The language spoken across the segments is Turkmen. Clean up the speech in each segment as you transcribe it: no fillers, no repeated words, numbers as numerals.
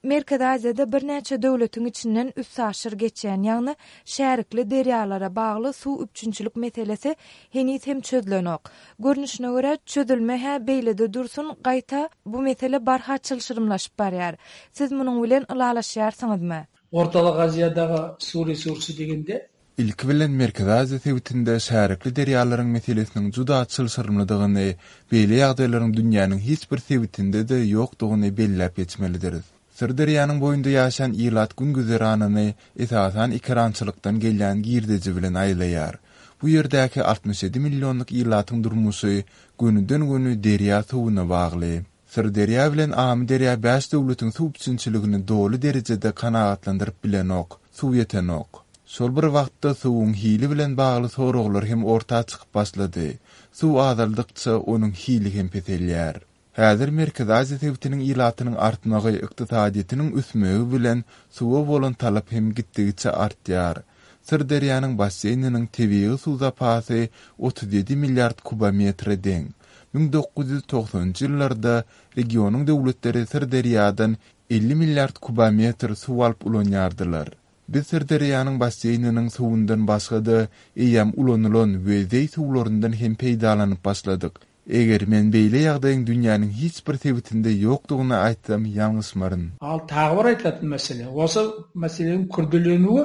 Merkezi Aziýada birnäçe döwletiň içinden üstaşyr geçýän, ýagny şärikli derýalara bagly suw üpjünçilik meselesi heniz hem çözlenok. Görnüşine görä, çözülme-hä beýlede dursun, gaýta, bu mesele barha çylşyrymlaşyp barýar. Siz munuň bilen ylalaşýarsyňyzmy? Ortalyk Aziýadagy suw resursy degende, Ilki bilen Merkezi Aziýa sebitinde şärikli derýalaryň meselesiniň juda çylşyrymlydygyny, beýle ýagdaýlaryň dünýäniň hiç bir sebitinde-de ýokdugyny belläp geçmelidiris. Syrderýanyň boýunda ýaşaýan ilat gün-güzeranyny esasan ekerançylykdan gelýän girdeji bilen aýlaýar. Bu ýerdäki 67 millionlyk ilatyň durmuşy gönüden-göni derýa suwuna bagly. Syrderýa bilen Amyderýa bäş döwletiň suw üpjünçiligini doly derejede kanagatlandyryp bilenok, suw ýetenok. Şol bir wagtda suwuň hili bilen bagly soraglar hem orta çykyp başlady. Suw azaldykça, onuň hili hem peselýär. Häzir Merkezi Aziýa sebitiniň ilatynyň artmagy, ykdysadyýetiniň ösmegi bilen suwa bolan talap hem gitdigiçe artýar. Syrderýanyň basseýniniň tebigy suw zapasy 37 milliard kubometre deň. 1990-njy ýyllarda regionyň döwletleri Syrderýadan 50 milliard kubometr suw alyp ulanýardylar. Biz Syrderýanyň basseýniniň suwundan başga-da eýýäm ulanylan we zeý suwlaryndan hem peýdalanyp başladyk. Eger men beýle ýagdaýyň dünýäniň hiç bir sebitinde ýokdugyny aýtsam ýalňyşmaryn. Al tagy bir aýtlatyn mesele. Bolsa meseleniň kürdeleniwi.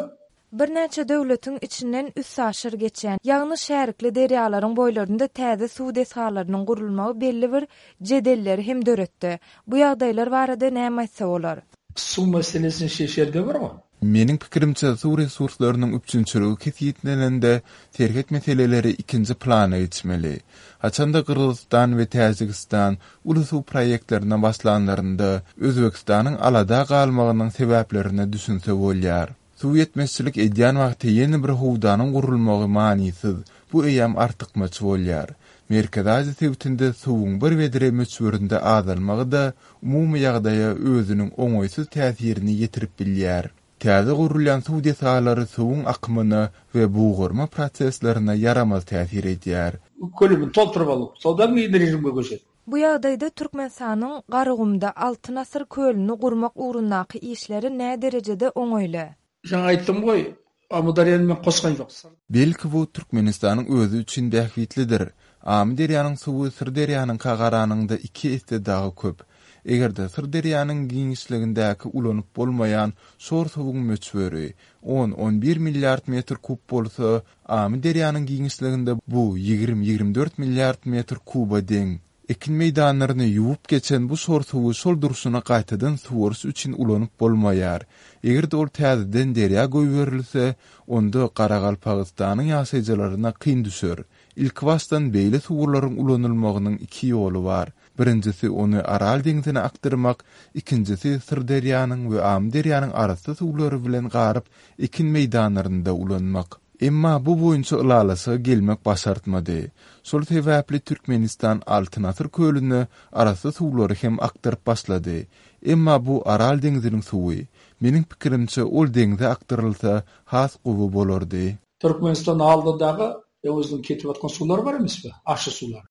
Birnäçe döwletiň içinden üstaşyr geçýän, ýagny şärikli derýalaryň boýlarynda täze suw desgalarynyň gurulmagy belli bir jedelleri hem döretdi. Bu ýagdaýlar barada näme aýtsa bolar? Suw meselesini şeşerde bir o. Meniň pikirimçe, suw resurslarynyň üpjünçiligi kesgitlenende, serhet meseleleri ikinji plana geçmeli. Haçan-da Gyrgyzystan we Täjigistan uly suw proýektlerine başlanlarynda, Özbegistanyň alada galmagynyň sebäplerine düşünse bolýar. Suw ýetmezçilik edýän wagty ýene bir howdanyň gurulmagy manysyz, bu eýýäm artykmaç bolýar. Merkezi Aziýa sebitinde suwuň bir bedre möçberinde azalmagy-da umumy ýagdaýa özüniň oňaýsyz täsirini ýetirip bilýär. Täze gurulýan suw desgalary suwuň akymyna we bugarma proseslerine ýaramaz täsir edýär. Kölüni tolturyp alyp, sodan keyin režimge köşedi. Bu ýagdaýda Türkmenistanyň Garagumda Altyn asyr kölüni gurmak ugrundaky işleri näderejede oňaýly? Jaňa aýtdym goý, Amyderýany men goşgan ýok. Belki bu Türkmenistanyň özi üçin bähbitlidir. Amyderýanyň suwy Syrderýanyňka garanyňda iki esse dagy köp. Eger-de Syrderýanyň giňişligindäki ulanyp bolmaýan şor suwuň möçberi on, on bir milliard metr kub bolsa, Amyderýanyň giňişliginde bu 20-24 milliard metr kuba deň. Ekin meýdanlaryny ýuwup geçen bu şor suwy şol durşuna gaýtadan suwaryş üçin ulanyp bolmaýar. Eger-de ol täzeden derýa goýberilse, onda Garagalpagystanyň ýaşaýjylaryna kyn düşer. Ilkibaşdan beýle suwlaryň ulanylmagynyň iki ýoly bar. Birinjisi ony Aral deňzine akdyrmak, ikinjisi Syrderýanyň we Amyderýanyň arassa suwlary bilen garyp ekin meýdanlarynda ulanmak. Emma bu boýunça ylalaşyga gelmek başartmady. Şol sebäpli Türkmenistan Altyn asyr kölüne arassa suwlary hem akdyryp başlady. Emma bu Aral deňziniň suwy. Meniň pikirimçe ol deňze akdyrylsa has gowy bolardy. Türkmenistan aldydagy özüniň ketip atgan suwlary bar emes be, aşy suwlary.